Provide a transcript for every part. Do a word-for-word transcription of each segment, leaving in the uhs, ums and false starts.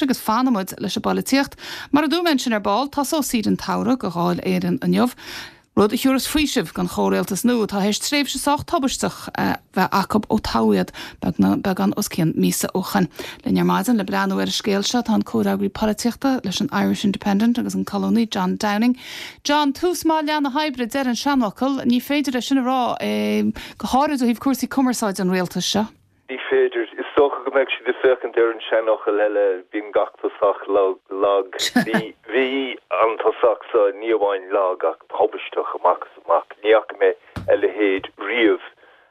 agus fanfaimid leis an bpolaitíocht. Mar a dúirt mé ansin ar ball, tosóidh siad an tsamhradh do Dháil Éireann inniu. Rud a thabharfas faoiseamh don chomhrialtas nua atá théis tréimhse sách tubaisteach bheith acu ó toghadh iad beagán os cionn míosa ó shin. Linn ar maidin le breathnú ar an scéal seo tá an comhfhreagraí polaitíochta leis an Irish Independent agus an colúnaí John Downing. John tús maith leath na hoibre deir an seanfhocal, ní féidir é sin a rá go háirid ó thaobh cúrsaí cumarsáide an rialtais seo. Ní féidir is dócha go mbeidh siad ag féachaint ar an seanfhocal eile bíonn gach tosach lag bhí bhí an tosach seo ní amháin lag ach tubaisteach amach is amach ní fhaca mé a leithéid riamh.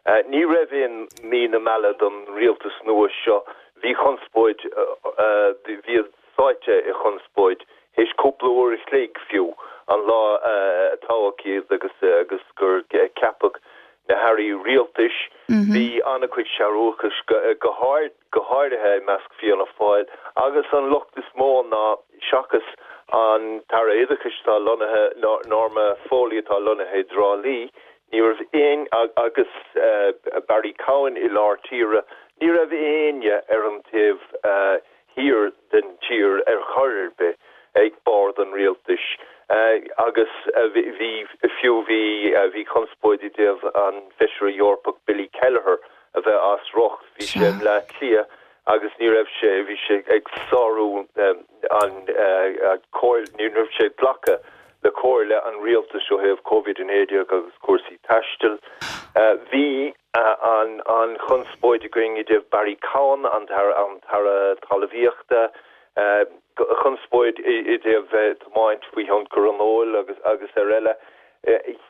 Uh, ní raibh aon mí na meala don rialtas nua seo bhí conspóid uh, bhí sáite i chonspóid théis cúpla uair a chloig fiú an lá uh, a toghadh iad agus agus gur ceapadh na hairí rialtais bhí an-chuid searúchais go hard go háirithe i measc Fianna Fáil agus an locht is mó ná seachas an tAire Oideachais atá lonnaithe Norma Foley atá lonnaithe i dTrá Lí, ní raibh aon agus uh, Barry Cowen i lár tíre, ní raibh éinne ar an taobh uh, thiar den tír ar chor ar bith ag bord an rialtais. Uh, agus uh, bhí fiú bhí uh, bhí conspóid i dtaobh an Feisire Eorpach Billy Kelleher a bheith as riocht bhí sé i mBleá Cliath agus ní raibh sé bhí sé ag sárú um, an uh, ní raibh sé glacadh le comhairle an rialtais ó thaobh COVID a naoi déag agus cúrsaí taistil. Uh, bhí uh, an an chonspóid againn i dtaobh Barry Cowen an an tAire Talmhaíochta, uh, chonspóid i dtaobh tiomáint faoi thionchar an óil agus agus ar eile.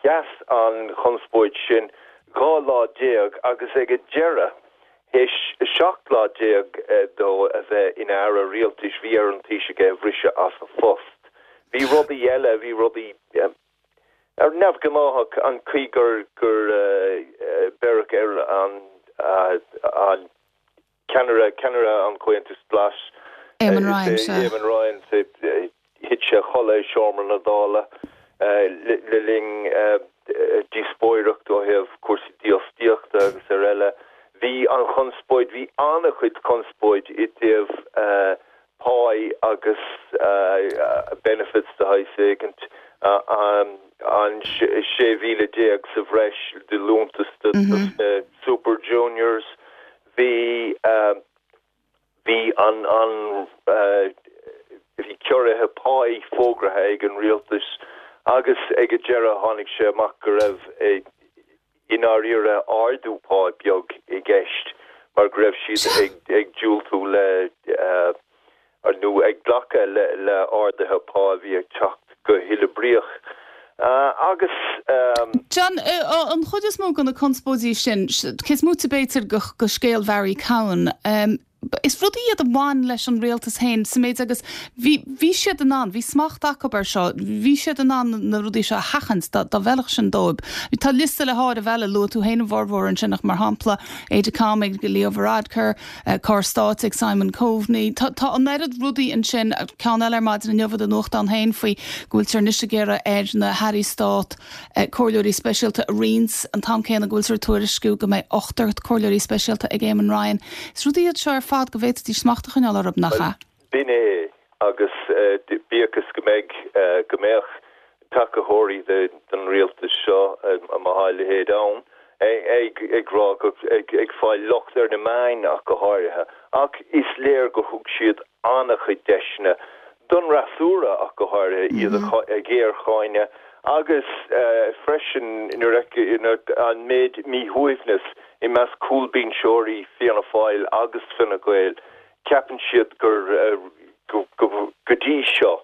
Sheas an chonspóid sin dhá lá déag agus ag an deireadh théis seacht lá déag dó a bheith ina aire rialtais bhí ar an Taoiseach é a bhriseadh as a phost. Bhí rudaí eile bhí rudaí ar neamhghnách an chaoi gur gur beireadh ar an an ceannaire ceannaire an Chomhaontais Ghlais Eamon Ryan Eamon Ryan thit sé a chodladh i seomra na Dála le linn díospóireacht ó thaobh cúrsaí dífhostaíochta agus ar eile. Bhí an chonspóid bhí an-chuid conspóid i dtaobh pá agus benefits de shaghas éigint an an sé mhíle déag sa bhreis de liúntas de Super Juniors bhí bhí an an bhí ciorruithe pá fógartha ag an rialtas agus ag an deireadh tháinig sé amach go raibh i ndáiríre ardú pá beag i gceist mar go raibh siad ag ag diúltú le uh, nó ag glacadh le le arduithe pá bhí ag teacht go huathoibríoch. Uh, agus um, John uh, an chuid is mó de na conspóidí sin cés múte beidir go, go scéal Barry Cowen. Um, is rudaí iad a bhain leis an rialtas féin sa méid agus bhí bhí siad in ann, bhí smacht acu air seo, bhí siad in ann na rudaí seo a sheachaint dá bhfeilfeadh sin dóibh. Tá liosta le háireamh eile luaigh tú féin formhór ansin mar shampla Aidecom ag Leo Varadkar, uh, Carr Stáit ag Simon Coveney. Tá, tá an oiread rudaí ansin ceann eile ar maidin inniu i nuachtán féin faoi go bhfuiltear anois ag iarraidh ar na hairí stáit uh, comhairleoirí speisialta a roinnt an t-am céanna go bhfuiltear tuairisciú go mbeidh ochtar comhairleoirí speisialta ag Eamon Ryan. Is rudaí iad seo ar fad go bhféadfaidís smacht a choinneáil orthu nach ea. B'in é agus uh, bíodh go mbeidh uh, go mbeadh tacaitheoirí den rialtas seo má tá a leithéid ann ag ag rá ag ag fáil locht ar na meáin ach go háirithe ach is léir go thug siad an-chuid deiseanna don fhreasúra ach go háirithe iad mm -hmm. ag géarcháineadh agus uh, freisin an méid míshuaimhneas i measc cúlbhinseoirí Fianna Fáil agus Fine Gael ceapann siad gur uh, go, go, go dtí seo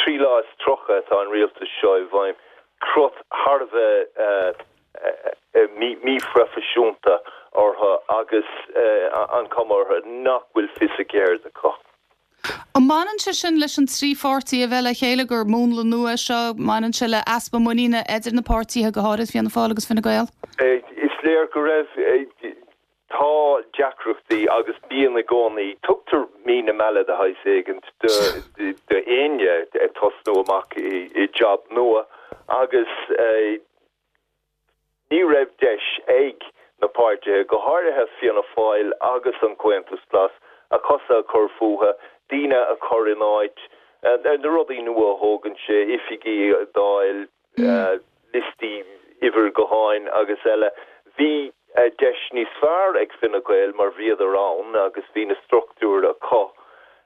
trí lá is tríocha atá an rialtas seo i bhfeidhm crot thar a bheith uh, uh, míphroifisiúnta orthu agus uh, an chuma orthu nach bhfuil fios a gceird acu. An mbaineann sé sin leis an trí pháirtí a bheith le chéile gur múnla nua seo mbaineann sé le easpa muiníne idir na páirtithe go háirithe Fianna Fáil agus Fine Gael? Is léir go raibh tá deacrachtaí agus bíonn i gcónaí tugtar mí na meala de shaghas éigint d'éinne ag tosnú amach i, i job nua agus eh, ní raibh deis ag na páirtithe go háirithe Fianna Fáil agus an Comhaontas Glas a cosa a chur fúthu daoine a chur in áit, na rudaí nua a thógann sé, oifigí a fháil, liostaí uimhir gutháin agus eile. Bhí deis níos fearr ag Fine Gael mar bhíodar ann agus bhí na struchtúir acu.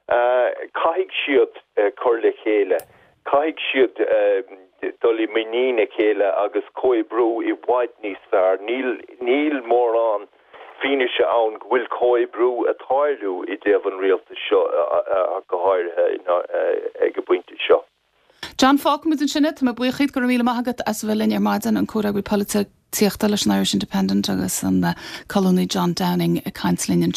Caithfidh siad cur le chéile, caithfidh siad dul i muinín a chéile agus comhoibriú i bhfad níos fearr. Níl níl mórán fianaise ann go bhfuil comhoibriú ag tarlú i dtaobh an rialtais seo go háirithe ag an bpointe seo. John fágfaimid ansin é, tá mé buíoch díot go raibh míle maith agat as a bheith linn ar maidin an comhfhreagraí polaitíochta leis an Irish Independent agus an colúnaí John Downing ag caint linn.